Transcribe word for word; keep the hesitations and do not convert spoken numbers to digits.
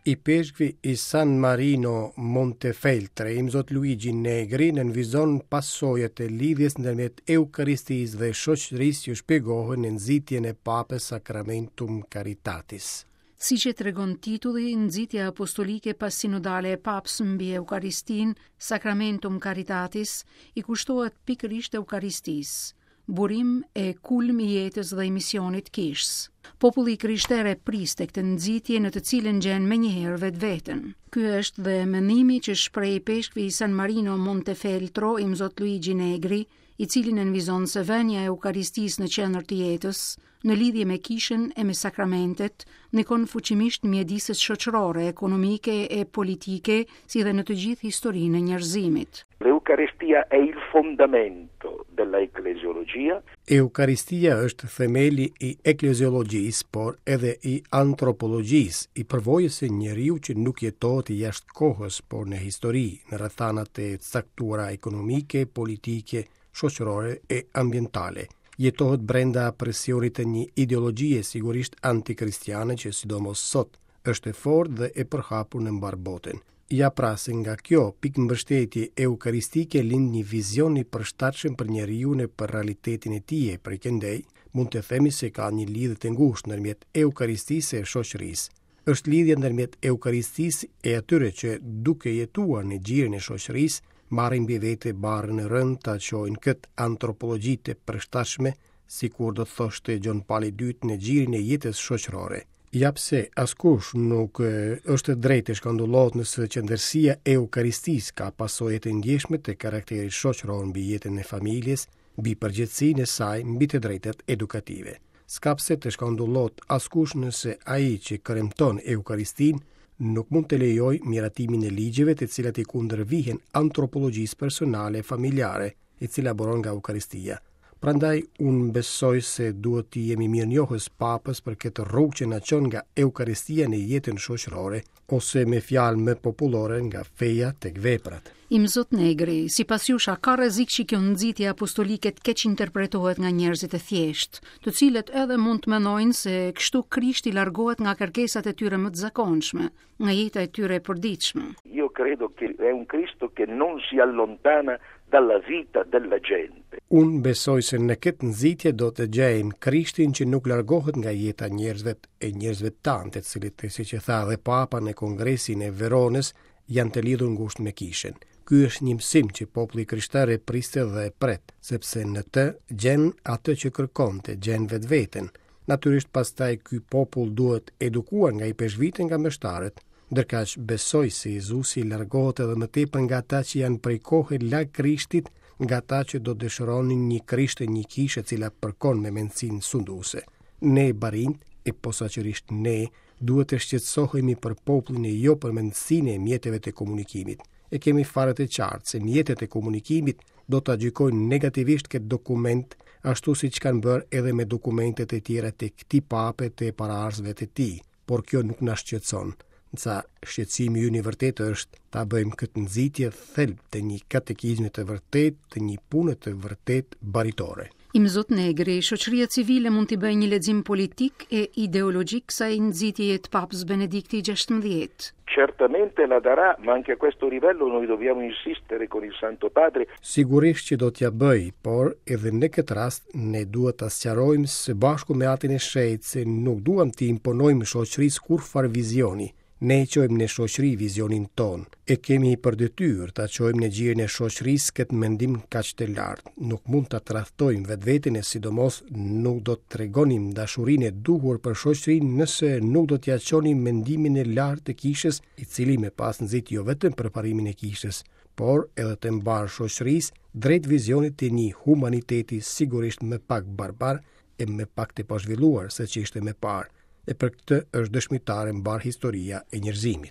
Ipeshkvi i San Marino Montefeltre, Imzot Luigi Negri, nënvizon pasojat e lidhjes ndërmjet Eukaristisë dhe shoqërisë që shpjegohen në nxitjen e Papës Sacramentum Caritatis. Siç e tregon titulli, nxitja apostolike pasinodale e Papës mbi Eukaristinë, Sacramentum Caritatis, i kushtohet pikërisht Eukaristisë, burim e kulm i jetës dhe i misionit kishës. Populli i krishterë e priste këtë nxitje në të cilën gjen menjëherë vetveten. Ky është dhe mendimi që shpreh ipeshkvi i San Marino Montefeltro, Imzot Luigi Negri, i cili nënvizon se vënia e Eukaristisë në qendër të jetës, në lidhje me kishën e me sakramentet, ndikon fuqimisht mjediset shoqërore, ekonomike e politike, si dhe në të gjithë historinë e njerëzimit. L'Eucaristia è il fondamento della ecclesiologia. Eukaristia është themeli i ekleziologjisë, por edhe i antropologjisë, i përvojës së njeriu që nuk jetohet jashtë kohës, por në histori, në rrethanat e caktuara ekonomike, politike, shoqërore e ambientale. Jetohet brenda presionit të një ideologjie sigurisht antikristiane që sidomos sot është e fortë dhe e përhapur në mbarë botën. Ja pra se nga kjo pikë mbështetje eukaristike lind një vizion i përshtatshëm për njeriun e për realitetin e tij, e prej këndej mund të themi se ka një lidhje të ngushtë ndërmjet eukaristisë e shoqërisë. Është lidhja ndërmjet eukaristisë e atyre që duke jetuar në gjirin e shoqërisë marrin mbi vete barrën e rëndë ta çojnë këtë antropologji të përshtatshme, sikur do të thoshte Gjon Pali i dytë, në gjirin e jetës shoqërore. Ja pse askush nuk është drejt të shkandullohet nëse qendërsia e Eukaristisë ka pasoje të ndjeshme të karakterit shoqëror mbi jetën e familjes, mbi përgjegjësinë e saj, mbi të drejtat edukative. S'ka pse të shkandullohet askush nëse ai që kremton Eukaristinë nuk mund të lejojë miratimin e ligjeve të cilat i kundërvihen antropologjisë personale e familjare, e cila buron nga Eukaristia. Prandaj unë besoj se duhet të jemi mirënjohës Papës për këtë rrugë që na çon nga Eukaristia në jetën shoqërore, ose me fjalë më popullore nga feja tek veprat. Imzot Negri, sipas jush, a ka rrezik që kjo nxitje apostolike të keqinterpretohet nga njerëzit e thjeshtë, të cilët edhe mund të mendojnë se kështu Krishti largohet nga kërkesat e tyre më të zakonshme, nga jeta e tyre e përditshme? Io credo che è un Cristo che non si allontana dalla vita della gente. Unë besoj se në këtë nxitje do të gjejmë Krishtin që nuk largohet nga jeta e njerëzve e njerëzve tanë, të cilët, siç e tha dhe Papa në Kongresin e Veronës, janë të lidhur ngushtë me kishën. Ky është një mësim që populli krishtar e priste dhe e pret, sepse në të gjen atë që kërkonte, gjen vetveten. Natyrisht pastaj ky popull duhet edukuar nga ipeshkvit e nga meshtarët, ndërkaq besoj se Jezusi largohet edhe më tepër nga ata që janë prej kohe larg Krishtit, nga ata që do dëshironin një Krisht e një kishë e cila përkon me mendësinë sunduese. Ne barinjt, e posaçërisht ne, duhet të shqetësohemi për popullin e jo për mendësinë e mjeteve të komunikimit. E kemi fare të qartë se mjetet e komunikimit do ta gjykojnë negativisht këtë dokument, ashtu siç kanë bërë edhe me dokumentet e tjera të këtij pape të paraardhësve të tij, por kjo nuk na shqetëson. Ndërsa shqetësimi ynë i vërtetë është ta bëjmë këtë nxitje thelb të një katekizmi të vërtetë, të një pune të vërtetë baritore. Imzot Negri, shoqëria civile mund t'i bëjë një lexim politik e ideologjik kësaj nxitjeje të Papës Benedikti gjashtëmbëdhjetë. Certamente la darà, ma anche a questo livello noi dobbiamo insistere con il Santo Padre. Sigurisht që do t'ja bëj, por edhe në këtë rast ne duhet ta sqarojmë së bashku me Atin e Shenjtë se nuk duam t'i imponojmë shoqërisë kurrfarë vizioni. Ne e çojmë në shoqëri vizionin ton. E kemi për detyrë ta çojmë në gjirin e shoqërisë këtë mendim kaq të lartë. Nuk mund ta tradhtojmë vetveten e sidomos nuk do të tregonim dashurinë e duhur për shoqërinë nëse nuk do t'ja çonim mendimin e lartë të kishës, i cili më pas nxit jo vetëm përparimin e kishës, por edhe të mbarë shoqërisë drejt vizionit të një humaniteti sigurisht më pak barbar e më pak të pazhvilluar se që ishte më parë. E për këtë është dëshmitare mbar historia e njerëzimit.